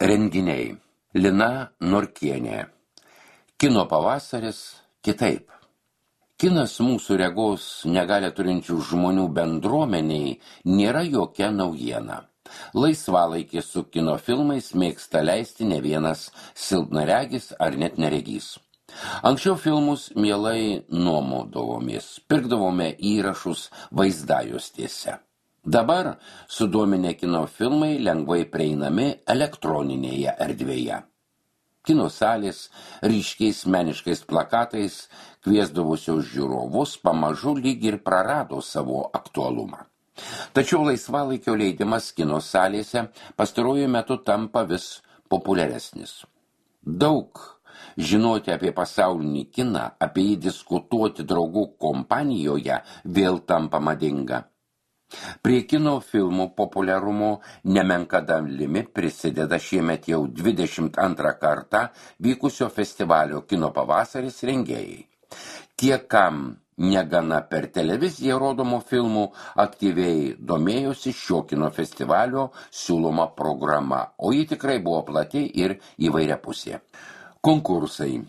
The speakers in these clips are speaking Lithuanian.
Renginiai. Lina Norkienė. Kino pavasaris kitaip. Kinas mūsų regos negalią turinčių žmonių bendruomeniai nėra jokia naujiena. Laisvalaikį su kino filmais mėgsta leisti ne vienas silpnaregis ar net neregys. Anksčiau filmus mielai nuomodavomės, pirkdavome įrašus vaizdajuostėse. Dabar sudominę kino filmai lengvai prieinami elektroninėje erdvėje. Kino salės ryškiais meniškais plakatais kviesdavusios žiūrovus pamažu lyg ir prarado savo aktualumą. Tačiau laisvalaikio leidimas kino salėse pastaruoju metu tampa vis populiaresnis. Daug žinoti apie pasaulinį kiną, apie jį diskutuoti draugų kompanijoje vėl tampa madinga. Prie kino filmų populiarumo nemenka dalimi prisideda šiemet jau 22 kartą vykusio festivalio Kino pavasaris rengėjai. Tie, kam negana per televiziją rodomų filmų, aktyviai domėjosi šio kino festivalio siūloma programa, o ji tikrai buvo plati ir įvairiapusė. Konkursai.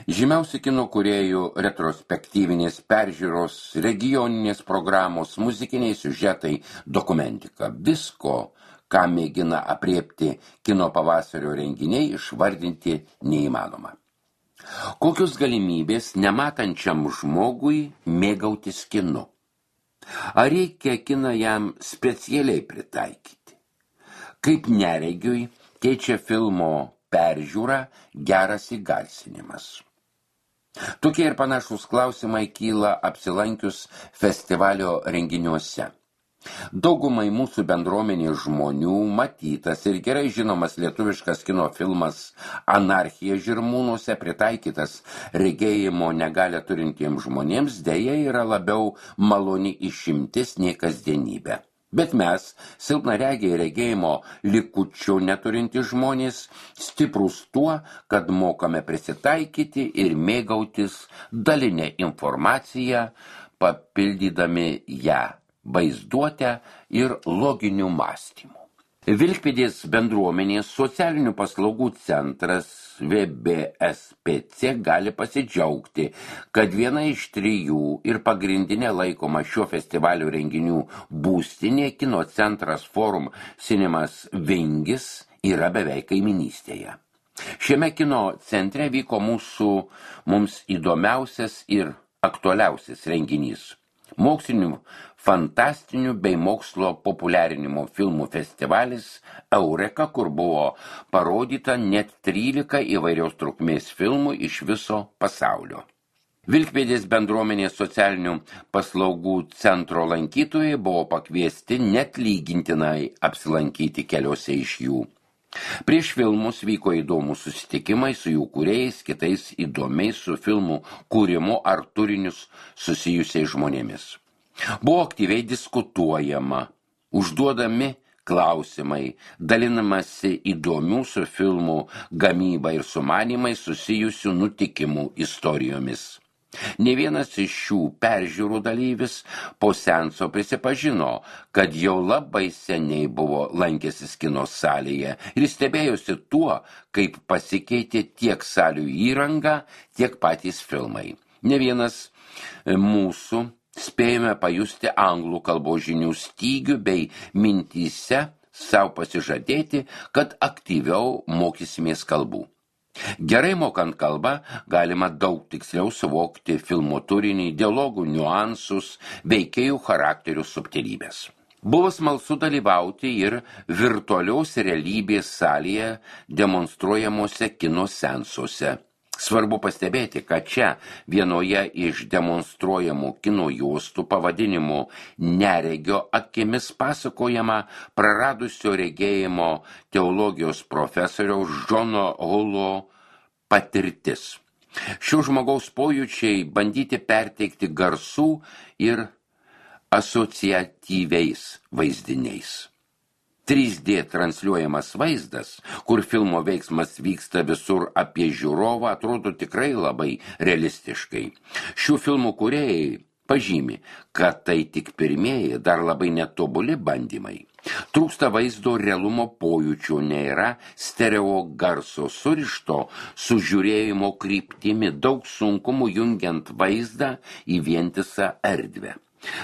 Žymiausi kino kūrėjų retrospektyvinės peržiūros, regioninės programos, muzikiniai siužetai, dokumentika. Visko, ką mėgina apriepti kino pavasario renginiai, išvardinti neįmanoma. Kokios galimybės nematančiam žmogui mėgautis kinu? Ar reikia kiną jam specialiai pritaikyti? Kaip neregiui keičia filmo peržiūra geras įgarsinimas? Tokie ir panašūs klausimai kyla apsilankius festivalio renginiuose. Daugumai mūsų bendruomenės žmonių matytas ir gerai žinomas lietuviškas kino filmas Anarchija Žirmūnuose, pritaikytas regėjimo negalią turintiems žmonėms, deja yra labiau maloni išimtis nei kasdienybė. Bet mes, silpnaregiai regėjimo likučių neturinti žmonės, stiprus tuo, kad mokame prisitaikyti ir mėgautis dalinę informaciją, papildydami ją vaizduotę ir loginiu mąstymu. Vilkpėdės bendruomenės socialinių paslaugų centras VBSPC gali pasidžiaugti, kad viena iš 3 ir pagrindinė laikoma šio festivalio renginių būstinė Kino centras Forum Cinemas Vingis yra beveik kaiminystėje. Šiame kino centre vyko mums įdomiausias ir aktualiausias renginys. Mokslinių, fantastinių bei mokslo populiarinimo filmų festivalis Eureka, kur buvo parodyta net 13 įvairios trukmės filmų iš viso pasaulio. Vilkpėdės bendruomenės socialinių paslaugų centro lankytojai buvo pakviesti net lygintinai apsilankyti keliose iš jų. Prieš filmus vyko įdomūs susitikimai su jų kūrėjais, kitais įdomiais su filmų kūrimu ar turinius susijusiais žmonėmis. Buvo aktyviai diskutuojama, užduodami klausimai, dalinamasi įdomių su filmų gamyba ir sumanymai susijusių nutikimų istorijomis. Ne vienas iš šių peržiūrų dalyvis po seanso prisipažino, kad jau labai seniai buvo lankęsis kino salėje ir stebėjosi tuo, kaip pasikeitė tiek salių įranga, tiek patys filmai. Ne vienas mūsų spėjome pajusti anglų kalbos žinių stygių bei mintyse savo pasižadėti, kad aktyviau mokysimės kalbų. Gerai mokant kalbą, galima daug tiksliau suvokti filmo turinį, dialogų niuansus, veikėjų charakterių subtilybės. Buvo smalsu dalyvauti ir virtualios realybės salėje demonstruojamuose kino seansuose. Svarbu pastebėti, kad čia vienoje iš demonstruojamų kino juostų pavadinimu Neregio akimis pasakojama praradusio regėjimo teologijos profesoriaus Džono Hulo patirtis. Šio žmogaus pojūčiai bandyti perteikti garsų ir asociatyviais vaizdiniais. 3D transliuojamas vaizdas, kur filmo veiksmas vyksta visur apie žiūrovą, atrodo tikrai labai realistiškai. Šių filmų kūrėjai pažymi, kad tai tik pirmieji, dar labai netobuli bandymai. Trūksta vaizdo realumo pojūčių, nėra stereo garso surišto su žiūrėjimo kryptimi, daug sunkumų jungiant vaizdą į vientisą erdvę.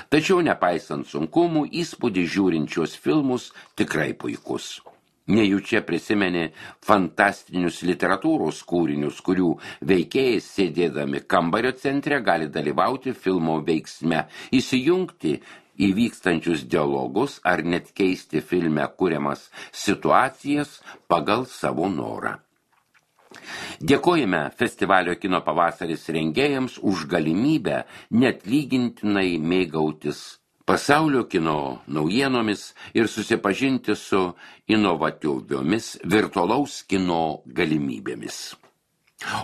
Tačiau nepaisant sunkumų, įspūdį žiūrinčios filmus tikrai puikus. Nejučia prisimeni fantastinius literatūros kūrinius, kurių veikėjai sėdėdami kambario centre gali dalyvauti filmo veiksme, įsijungti į vykstančius dialogus ar net keisti filme kuriamas situacijas pagal savo norą. Dėkojame festivalio Kino pavasaris rengėjams už galimybę neatlygintinai mėgautis pasaulio kino naujienomis ir susipažinti su inovatyviomis virtualaus kino galimybėmis.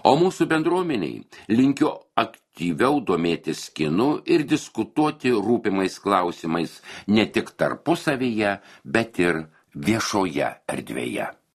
O mūsų bendruomeniai linkiu aktyviau domėtis kinu ir diskutuoti rūpimais klausimais ne tik tarpusavyje, bet ir viešoje erdvėje.